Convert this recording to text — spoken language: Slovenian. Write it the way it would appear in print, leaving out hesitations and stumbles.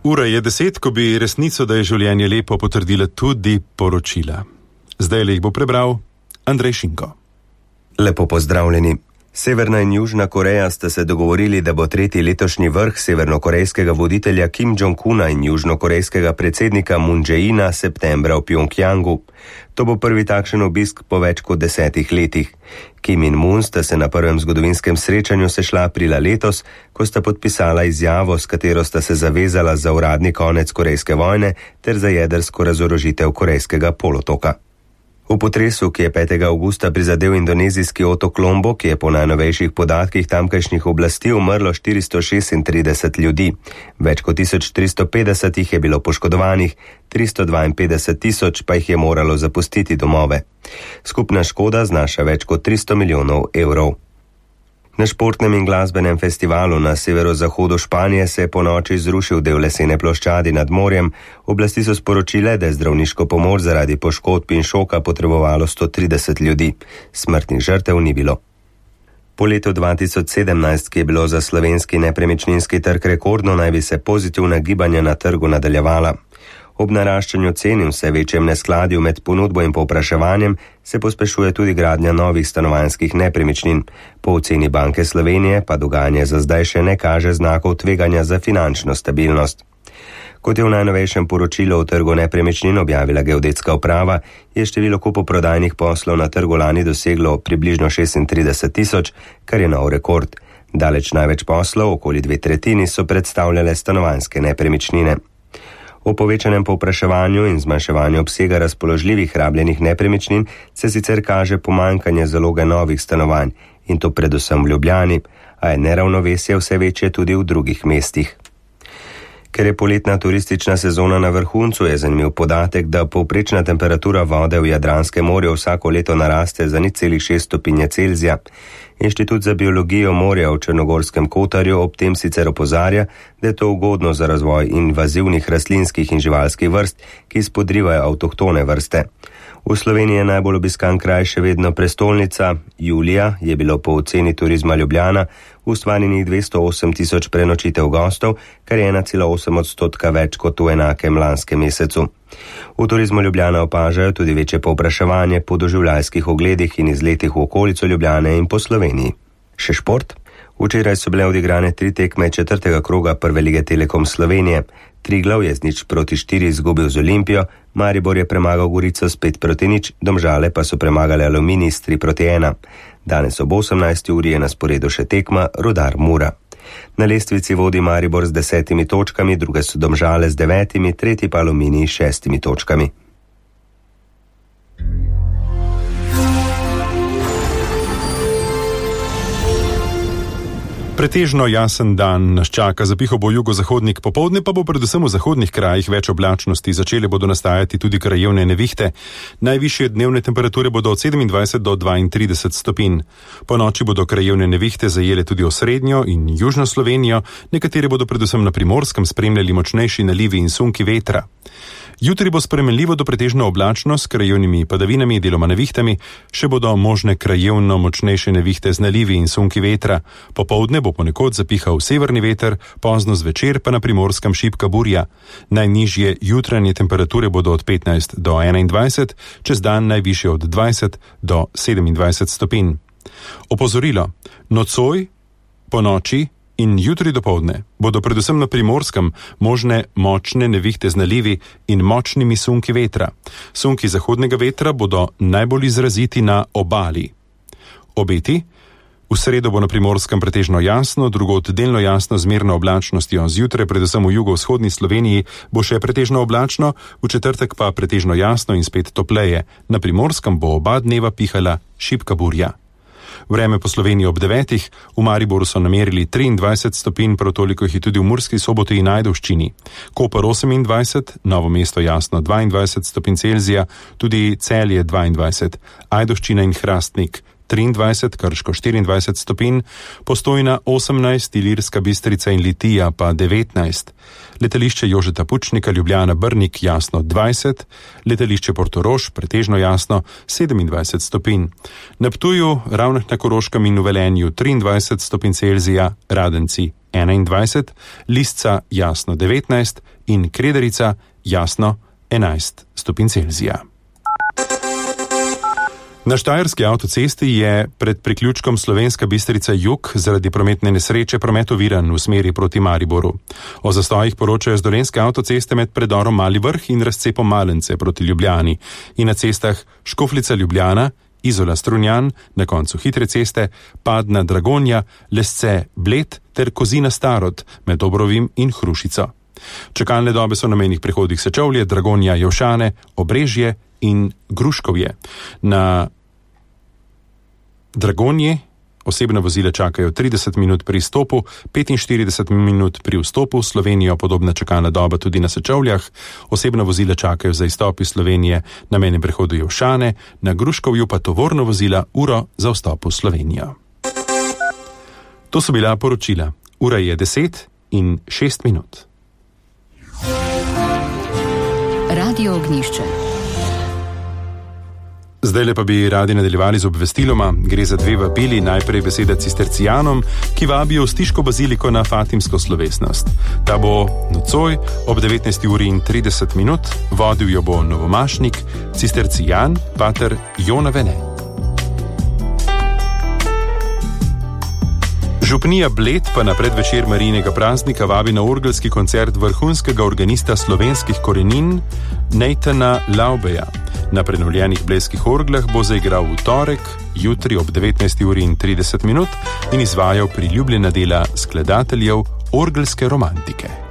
Ura je 10, ko bi resnico, da je življenje lepo, potrdila tudi poročila. Zdaj jih bo prebral Andrej Šinko. Lepo pozdravljeni. Severna in Južna Koreja sta se dogovorili, da bo tretji letošnji vrh severnokorejskega voditelja Kim Jong-una in južnokorejskega predsednika Moon Jae-ina septembra v Pjongjangu. To bo prvi takšen obisk po več kot 10 letih. Kim in Moon sta se na prvem zgodovinskem srečanju sešla aprila letos, ko sta podpisala izjavo, s katero sta se zavezala za uradni konec korejske vojne ter za jedrsko razorožitev korejskega polotoka. V potresu, ki je 5. avgusta prizadel indonezijski otok Lombok, je po najnovejših podatkih tamkajšnjih oblasti umrlo 436 ljudi. Več kot 1350 jih je bilo poškodovanih, 352 tisoč pa jih je moralo zapustiti domove. Skupna škoda znaša več kot 300 milijonov evrov. Na športnem in glasbenem festivalu na severozahodu Španije se je po noči zrušil del lesene ploščadi nad morjem. Oblasti so sporočile, da je zdravniško pomoč zaradi poškodb in šoka potrebovalo 130 ljudi. Smrtnih žrtev ni bilo. Po letu 2017, ki je bilo za slovenski nepremičninski trg rekordno, naj bi se pozitivna gibanja na trgu nadaljevala. Ob naraščanju cen in vse večjem neskladju med ponudbo in povpraševanjem se pospešuje tudi gradnja novih stanovanjskih nepremičnin. Po oceni Banke Slovenije pa dogajanje za zdaj še ne kaže znakov tveganja za finančno stabilnost. Kot je v najnovejšem poročilu o trgu nepremičnin objavila Geodetska uprava, je število kupoprodajnih poslov na trgu lani doseglo približno 36 tisoč, kar je nov rekord. Daleč največ poslov, okoli 2/3, so predstavljale stanovanjske nepremičnine. O povečanem povpraševanju in zmanjševanju obsega razpoložljivih rabljenih nepremičnin se sicer kaže pomanjkanje zaloge novih stanovanj, in to predvsem v Ljubljani, a je neravnovesje vse večje tudi v drugih mestih. Ker je poletna turistična sezona na vrhuncu, je zanimiv podatek, da povprečna temperatura vode v Jadranskem morju vsako leto naraste za 0,6 stopinje Celzija. Inštitut za biologijo morja v Črnogorskem Kotarju ob tem sicer opozarja, da je to ugodno za razvoj invazivnih rastlinskih in živalskih vrst, ki spodrivajo avtohtone vrste. V Sloveniji je najbolj obiskan kraj še vedno prestolnica. Julija je bilo po oceni Turizma Ljubljana ustvarjenih 208 tisoč prenočitev gostov, kar je 1,8% več kot v enakem lanskem mesecu. V Turizmu Ljubljana opažajo tudi večje povpraševanje po doživljajskih ogledih in izletih v okolico Ljubljane in po Sloveniji. Še šport? Včeraj so bile odigrane 3 tekme 4. kroga Prve lige Telekom Slovenije. Triglav je z 0-4 izgubil z Olimpijo, Maribor je premagal Gorico s 5-0, Domžale pa so premagali Aluminij s 3-1. Danes ob 18. uri je na sporedu še tekma Rudar Mura. Na lestvici vodi Maribor z 10 točkami, druge so Domžale z 9, tretji pa Aluminij s 6 točkami. Pretežno jasen dan nas čaka, zapihal bo jugozahodnik, popoldne pa bo predvsem v zahodnih krajih več oblačnosti, začele bodo nastajati tudi krajevne nevihte. Najvišje dnevne temperature bodo od 27 do 32 stopinj. Po noči bodo krajevne nevihte zajele tudi osrednjo in južno Slovenijo, nekatere bodo predvsem na Primorskem spremljali močnejši nalivi in sunki vetra. Jutri bo spremenljivo do pretežno oblačno s krajevnimi padavinami, deloma nevihtami, še bodo možne krajevno močnejše nevihte z nalivi in sunki vetra. Popoldne bo ponekod zapihal severni veter, pozno zvečer pa na Primorskem šibka burja. Najnižje jutranje temperature bodo od 15 do 21, čez dan najvišje od 20 do 27 stopinj. Opozorilo: nocoj, po noči in jutri dopoldne bodo predvsem na Primorskem možne močne nevihte z nalivi in močnimi sunki vetra. Sunki zahodnega vetra bodo najbolj izraziti na obali. Obeti: v sredo bo na Primorskem pretežno jasno, drugod delno jasno z zmerno oblačnostjo, zjutraj predvsem v jugovzhodni Sloveniji bo še pretežno oblačno, v četrtek pa pretežno jasno in spet topleje. Na Primorskem bo oba dneva pihala šibka burja. Vreme po Sloveniji ob 9, v Mariboru so namerili 23 stopinj, prav toliko jih je tudi v Murski Soboti in Ajdovščini. Koper 28, Novo mesto jasno 22 stopinj Celzija, tudi Celje 22, Ajdovščina in Hrastnik 23, Krško 24 stopinj, Postojna 18, Ilirska Bistrica in Litija pa 19. Letališče Jožeta Pučnika Ljubljana Brnik jasno 20, letališče Portorož pretežno jasno 27 stopinj. Na Ptuju, Ravnah na Koroškem in v Velenju 23 stopinj Celzija, Radenci 21, Lisca jasno 19 in Krederica jasno 11 stopinj Celzija. Na štajerski avtocesti je pred priključkom Slovenska Bistrica jug zaradi prometne nesreče promet oviran v smeri proti Mariboru. O zastojih poročajo z dolenjske avtoceste med predorom Mali Vrh in razcepom Malence proti Ljubljani in na cestah Škofljica Ljubljana, Izola Strunjan, na koncu hitre ceste, Padna Dragonja, Lesce Bled ter Kozina Starod med Obrovim in Hrušico. Čakalne dobe so na mejnih prehodih Sečovlje, Dragonja, Jevšane, Obrežje in Gruškovje. Na Dragonji osebna vozila čakajo 30 minut pri izstopu, 45 minut pri vstopu v Slovenijo, podobna čakalna doba tudi na Sečovljah. Osebna vozila čakajo za izstop iz Slovenije na mejnem prehodu Jevšane, na Gruškovju pa tovorna vozila uro za vstop v Slovenijo. To so bila poročila. Ura je 10:06. Radio Ognjišče. Zdajle pa bi radi nadaljevali z obvestiloma. Gre za dve vabili, najprej beseda cistercijanom, ki vabijo v Stiško baziliko na fatimsko slovesnost. Ta bo nocoj ob 19:30, vodil jo bo novomašnik, cistercijan, pater Jona Vene. Župnija Bled pa na predvečer Marijinega praznika vabi na orgelski koncert vrhunskega organista slovenskih korenin Nathana Laubeja. Na prenovljenih blejskih orglah bo zaigral v torek, jutri ob 19:30 in izvajal priljubljena dela skladateljev orgelske romantike.